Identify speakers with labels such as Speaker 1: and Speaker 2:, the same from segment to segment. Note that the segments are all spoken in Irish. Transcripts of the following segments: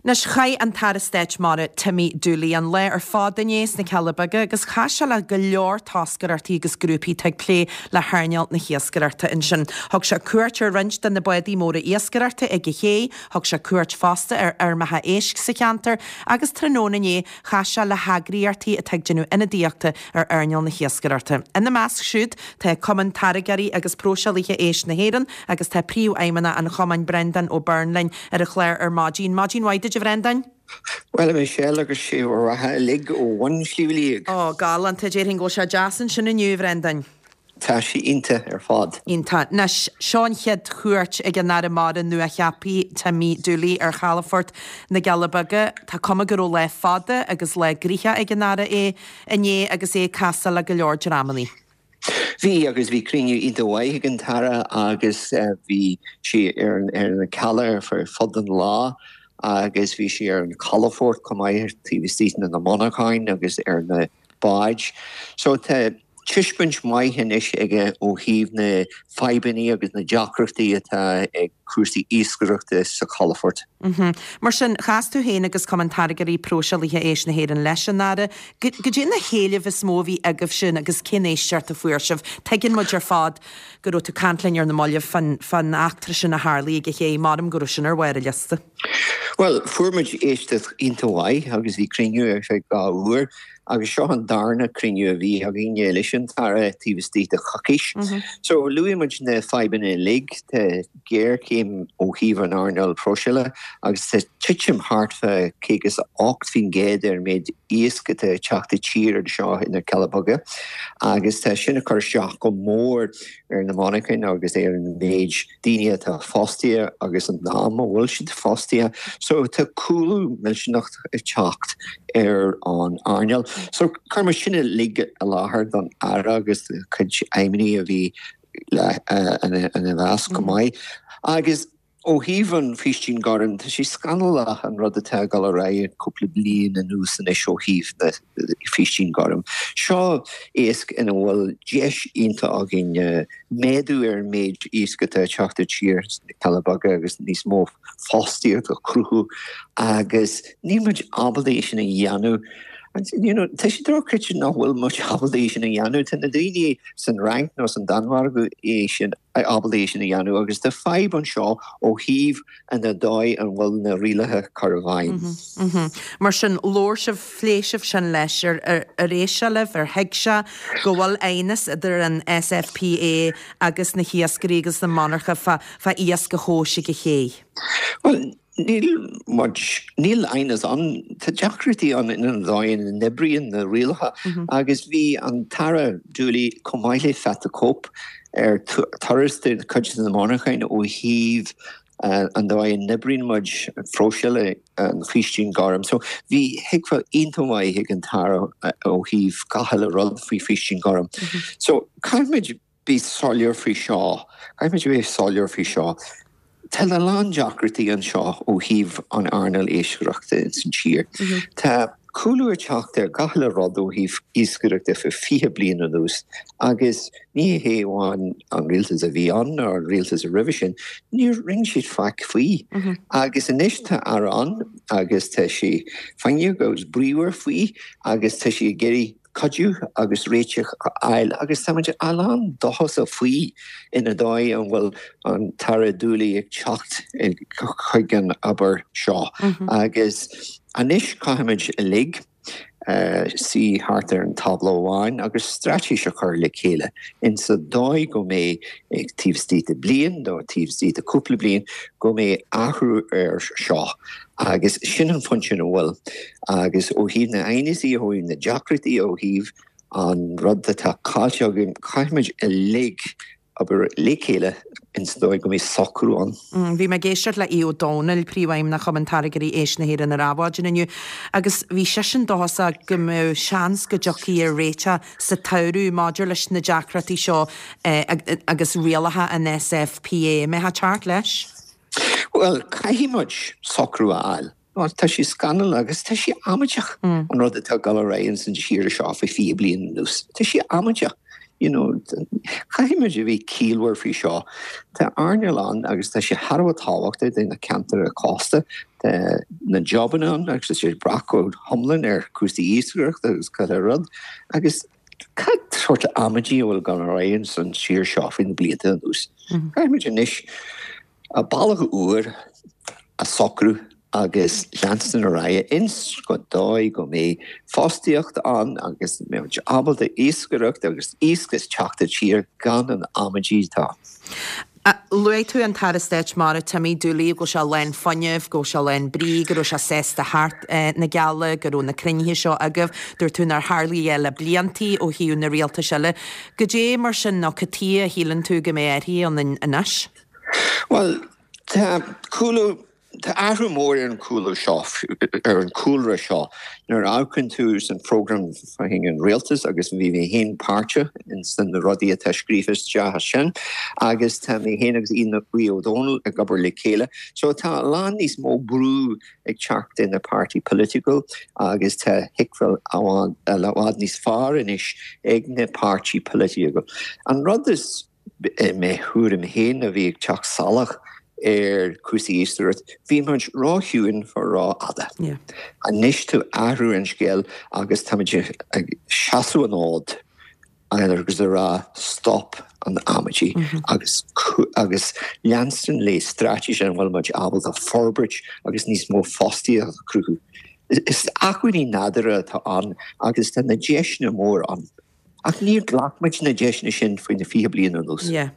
Speaker 1: Anois, chaith an tAire Stáit Mara, Timmy Dooley, an lá ar fad inné sna Cealla Beaga agus chas sé le go leor toscaireachtaí agus grúpaí atá ag plé le hearnáil na hiascaireachta ansin. Thug sé cuairt ar roinnt de na bádaí móra iascaireachta ag an ché, thug sé cuairt fosta ar fheirmeacha éisc sa cheantar agus tráthnóna inné chas sé le heagraíochtaí atá ag déanamh ionadaíochta ar earnáil na hiascaireachta. Ina measc siúd tá Cumann Táirgeoirí agus Próiseálaithe Éisc na hÉireann agus tá Príomhfheidhmeannach an Chumainn Breandán Ó Beirn linn ar an chlár ar maidin. Maidin mhaith duit a Bhreandáin.
Speaker 2: Bhuel a Michelle agus sé bhur mbeatha uilig ó bhun Shliabh Liag.
Speaker 1: Ó, galánta, déarfainn go bhfuil sé deas ansin inniu, a Bhreandáin.
Speaker 2: Tá sé iontach ar fad.
Speaker 1: Iontach. Anois, seo an chéad chuairt ag an Aire Mara nuacheaptha, Timmy Dooley, ar chalafort na gCealla Beaga. Tá cuma go raibh lá fada agus lá gnoitheach ag an Aire é inné agus é ag casadh le go leor dreamannaí.
Speaker 2: Bhí, agus bhí cruinniú iontach mhaith ag an tAire agus bhí sé ar na cealla ar fud an lá agus bhí sé ar an chalafort chomh maith taobh istigh de na monarcháin agus ar na báid. So tá tuiscint mhaith anois aige ó thaobh na fadhbanna agus na deacrachtaí atá ag cúrsaí iascaireachta sa chalafort.
Speaker 1: Mar sin, chas tú féin agus Cumann Táirgeoirí Próiseálaithe Éisc na hÉireann leis an Aire. Goidé na héilimh is mó a bhí agaibhse agus cén éisteacht a fuair sibh? Tuigeann muid ar fad go raibh tú ag caint linn ar na mallaibh fán eachtra sin a tharlaigh ag an ché. Measaim go raibh sin ar bharr an liosta.
Speaker 2: Bhuel, fuair muid éisteacht iontach mhaith agus bhí cruinniú ar feadh 2 uair agus seo an darna cruinniú a bhí againne leis an tAire taobh istigh de choicís. So, luaigh muid na fadhbanna uilig, tá géarchéim ó thaobh an earnáil próiseála agus tá titim thart fá 58% ar an méid iasc atá ag teacht i tír anseo ina Cealla Beaga agus tá sin ag cur isteach go mór ar na monarchain agus ar an méid daoine atá fostaithe agus an am a bhfuil siad fostaithe. So tá cúlú millteanach ag teacht ar an earnáil. So chuir muid sin uilig i láthair don Aire agus cuid feidhmeannaigh a bhí ina mheasc chomh maith. Agus ó thaobh an Faoistín Gorm, tá sé scannalach an rud atá ag dul ar aghaidh cúpla bliain anuas anois ó thaobh na Faoistín Gorm. Seo iasc ina bhfuil deis iontach againn méadú ar an méid iasc atá ag teacht i tír sna Cealla Beaga agus níos mó fostaíocht a chruthú agus níl muid ábalta é sin a dhéanamh. You know, tá sé dochreidte nach bhfuil muid ábalta é sin a dhéanamh. Tá na daoine san Fhrainc nó san Danmhairg é sin ábalta é sin a dhéanamh agus tá fadhb anseo ó thaobh an dóigh an bhfuil na rialacha curtha i
Speaker 1: bhfeidhm. Mar sin, labhair sibh, phléigh sibh sin leis, ar ar éist sé libh, ar thuig sé go bhfuil aighneas idir an SFPA agus na hiascairí agus na monarcha fá fá iasc a thomhas ag an ché?
Speaker 2: Bhuel, Níl muid, níl aighneas ann, tá deacrachtaí ann in an dóigh ina n-oibríonn na rialacha agus bhí an tAire Dooley chomh maith le Pat the Cope ar turas de chuid de na monarchain ó thaobh an dóigh a n-oibríonn muid phróiseáil an Faoistín Gorm. So bhí thuigbheáil iontach mhaith ag an tAire ó thaobh gach uile rud faoi Faoistín Gorm. So caithfimid bheith soiléir faoi seo, caithfimid a bheith soiléir faoi seo. Tá a lán deacrachtaí anseo ó thaobh an earnáil iascaireachta ins an tír. Tá cúlú ag teacht ar gach uile rud ó thaobh iascaireachta fé 20 bliain anuas agus ní hé amháin an rialtas a bhí ann nó an rialtas a roimhe sin, níor rinne siad faic faoi. Agus anois tá Aire ann agus tá sé foighneach agus bríomhar faoi agus tá sé ag iarraidh cuidiú agus réiteach a fháil agus tá muid a lán dóchasach faoi ina dóigh an bhfuil an tAire Dooley ag teacht chuig an obair seo agus anois caithfimid uilig suí thart ar an tábla amháin agus straitéis a chur le chéile insa dóigh go mbeidh taobh istigh de bliain nó taobh istigh de cúpla bliain go mbeidh athrú ar seo agus sin an phointe ina bhfuil Agus ó thaobh na n-aighneasaí, ó thaobh na deacrachtaí, ó thaobh an rud atá caillte againn, caithfimid uilig obair le chéile ins an dóigh go mbeidh socrú ann.
Speaker 1: Bhí mé ag éisteacht le Aodh Ó Domhnaill, Príomhfheidhmeannach Chumann Táirgeoirí Éisc na hÉireann ar Adhmhaidin inniu agus bhí seisean dóchasach go mbeadh seans go dtiocfaí ar réiteach sa tsamhradh maidir leis na deacrachtaí seo agus rialacha an SFPA. An mbeifeá ag teacht leis?
Speaker 2: Bhuel, caithfidh muid socrú a fháil. Nó tá sé scannalach agus tá sé amaideach an rud atá ag dul ar aghaidh ins an tír seo fé 20 bliain anuas. Tá sé amaideach. You know, caithfidh muid a bheith ciallmhar faoi seo. Tá earnáil ann agus tá sé thar a bheith tábhachtach do na ceantair cósta. Tá na jobanna ann agus tá sé ag brath go hiomlán ar cúrsaí iascaireachta agus chuile rud. Agus cad sórt amaidí a bhfuil ag dul ar aghaidh san tír seo faoi na blianta anuas? Caithfidh muid anois bealach úr a socrú agus leanstan ar aghaidh ins an dóigh go mbeidh fostaíocht ann agus mbeidh muid ábalta iascaireacht agus iasc ag teacht i dtír gan an amaidí atá.
Speaker 1: Luaigh tú an tAire Stáit Mara Timmy Dooley, go bhfuil sé lán fuinnimh, go bhfuil sé lán brí, go raibh sé sásta theacht na Cealla, go raibh na cruinnithe seo agaibh. Dúirt tú nár tharlaigh é le bliantaí ó thaobh na rialtais eile. Goidé mar sin nó cad tuighe a shíleann tú go mbeidh athraithe ann anois?
Speaker 2: Bhuel, tá cúlú, tá athrú mór ar an chúlú seo, ar an chúlra seo. Nuair a amharcann tú san program fá choinne an rialtas agus bhí mé féin páirteach ins na rudaí atá scríofa isteach ansin agus tá mé féin agus Aodh Ó Domhnaill ag obair le chéile. So tá a lán níos mó brú ag teacht in na páirtí political agus tá thuigbheáil i bhfad níos fearr anois ag na páirtí political. An rud is I mo thuairim féin a bhí ag teacht salach ar chúrsaí iascaireachta, bhí muid ró-chiúin for ró-fhada. Anois tá athrú an scéil agus táimid ag seasamh an fhóid agus ag rá stop an amaidí agus agus leanstan le straitéis ina bhfuil muid ábalta forbairt agus níos mó fostaíocht a chruthú. Is acmhainní nádúrtha atá ann agus tá na deiseanna mór ann. Ach níor ghlac muid na deiseanna sin faoi na 20 bliain anuas.
Speaker 1: Yeah.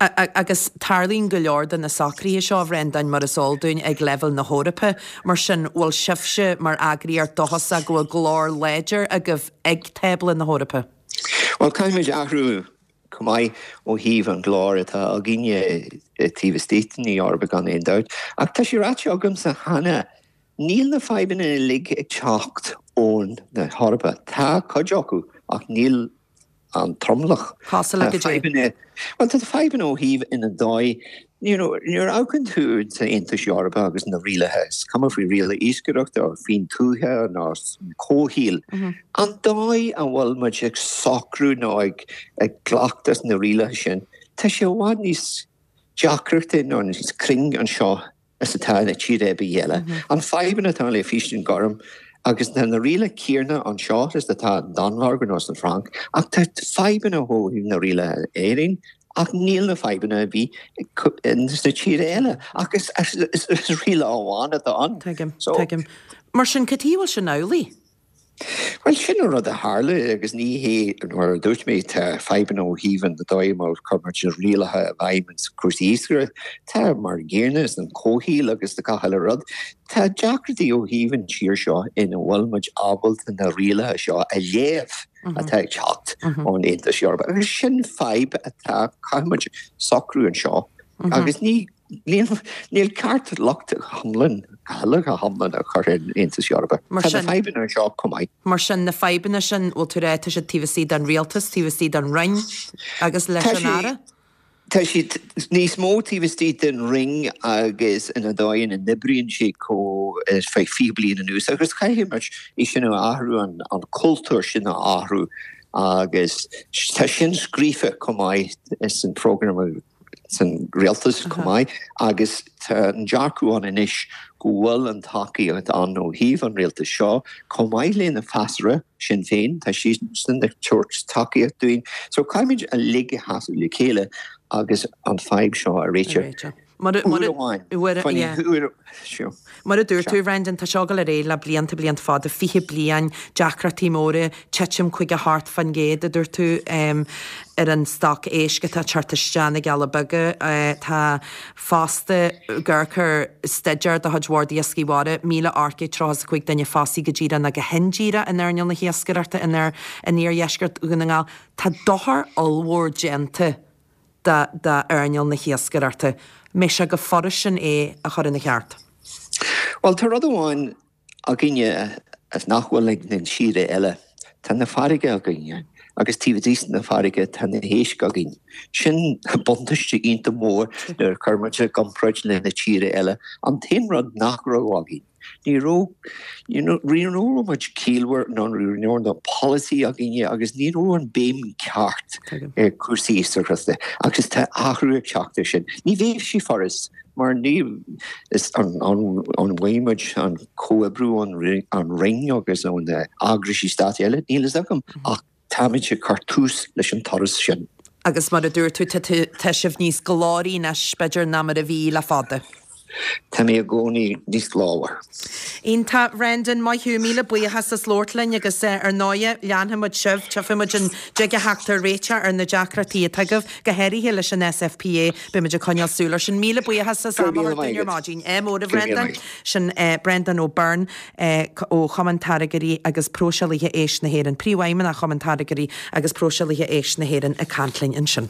Speaker 1: Agus tarlaíonn go leor de na socruithe seo, a Bhreandáin, mar is eol dúinn, ag leibhéal na hEorpa. Mar sin, bhfuil sibhse mar eagraíocht dóchasach go bhfuil glór láidir agaibh ag tábla na hEorpa?
Speaker 2: Bhuel, caithfimid athrú chomh maith ó thaobh an ghlór atá againne taobh istigh den Eoraip gan aon dabht. Ach tá sé ráite agamsa cheana, Níl na fadhbanna uilig ag teacht ón na hEorpa. Tá cuid acu, ach níl an tromlach.
Speaker 1: Cosúil le
Speaker 2: Tá fadhbanna, bhuel, tá fadhbanna ó thaobh ina dóigh, you know, nuair a amharcann tú sa Aontas Eorpach agus na rialacha, is cuma faoi rialacha iascaireachta nó faoin tuaithe nó comhshaoil, an dóigh a bhfuil muid ag socrú nó ag ag glacadh na rialacha sin, tá sé i bhfad níos deacrachta nó níos cruinn anseo is atá i tír ar bith eile. An fadhbanna atá le Faoistin Gorm agus tá na rialacha céanna anseo is atá i Danmhairg nó san Fhrainc ach tá fadhbanna ó thaobh na rialacha in Éirinn ach níl na fadhbanna a bhí sna tíortha eile ach is riail amháin atá ann.
Speaker 1: Tuigim, tuigim. Mar sin, cad chuige a bhfuil sin amhlaidh?
Speaker 2: Bhuel, sin an rud a tharla agus ní hé, mar a dúirt mé, tá fadhbanna ó thaobh an dóigh mar chuir muid na rialacha i bhfeidhm ins cúrsaí iascaireachta, tá mar an gcéanna ins an comhshaoil agus gach uile rud. Tá deacrachtaí ó thaobh an tír seo ina bhfuil muid ábalta na rialacha seo a léamh atá ag teacht ón Aontas Eorpach agus sin fadhb atá, caithfidh muid socrú anseo agus ní Níl ceart locht iomlán, go hiomlán a chur ar an Aontas Eorpach. Tá na fadhbanna anseo chomh maith.
Speaker 1: Mar sin, na fadhbanna sin, bhfuil tú ag rá, tá siad taobh istigh den rialtas, taobh istigh den Roinn agus leis an Aire?
Speaker 2: Tá siad níos mó taobh istigh den Roinn agus ina dóigh ina n-oibríonn sé chomh ar feadh 20 bliain anuas agus caithfidh muid é sin a athrú, an cultúr sin a athrú agus tá sin scríofa chomh maith san program san rialtas chomh maith agus tá an dearcadh ann anois go bhfuil an tacaíocht ann ó thaobh an rialtais seo chomh maith le na freasúra, Sinn Féin, tá siadsan ag tabhairt tacaíocht dúinn. So caithfimid uilig a sheasamh le chéile agus an fadhb seo a réiteach.
Speaker 1: Uair amháin. Mar a dúirt tú, Bhrendan, tá seo ag dul ar aghaidh le blianta, blianta fada, 20 bliain, deacrachtaí móra, titim 58% a dúirt tú, ar an stoc éisc atá ag teacht isteach na gCealla Beaga. Tá fosta ag amharc ar staidéar de chuid Bhord Iascaigh Mhara, 1,835 duine fostaithe go díreach nó go hindíreach in earnáil na hiascaireachta in iardheisceart Dhún na nGall. Tá dochar ollmhór déanta d'earnáil na hiascaireachta. Mbeidh sé go furast sin é a chur ina cheart?
Speaker 2: Bhuel, tá rud amháin againne is nach bhfuil ag na tíortha eile. Tá na farraige againne. Agus taobh istigh na farraige tá na héisc againn. Sin buntáiste iontach mór nuair a chuir muid i gcomparáid le na tíortha eile. An t-aon rud nach raibh againn, ní raibh, you know, ní raibh muid ciallmhar nó ní raibh na polasaí againne agus ní raibh an béim ceart ar cúrsaí iascaireachta agus tá athrú ag teacht ar sin. Ní bheidh sé furast mar ní is an an bhfaighidh muid an comhoibriú ón Roinn agus ó na eagraisí stáit eile, níl fhios agam ach táimid ag cur tús leis an turas sin.
Speaker 1: Agus mar a dúirt tú, tá sibh níos glóraí anois, b'fhéidir, ná mar a bhí le fada.
Speaker 2: Tá mé i gcónaí níos glórmhar.
Speaker 1: Iontach, Bhrendan, maith thú, míle buíochas as labhairt linn agus ar ndóighe, leanfaidh muid sibh, tchífidh muid an dtig a theacht ar réiteach ar na deacrachtaí atá agaibh, go háirithe leis an SFPA, beidh muid ag coinneáil súil air sin. Míle buíochas as am a thabhairt dúinn ar maidin. Ádh mór, a Bhrendan. Sin Brendan O'Byrne ó Chumann Táirgeoirí agus Próiseálaithe Éisc na hÉireann, Príomhfheidhmeannach Chumann Táirgeoirí agus Próiseálaithe Éisc na hÉireann ag caint linn ansin.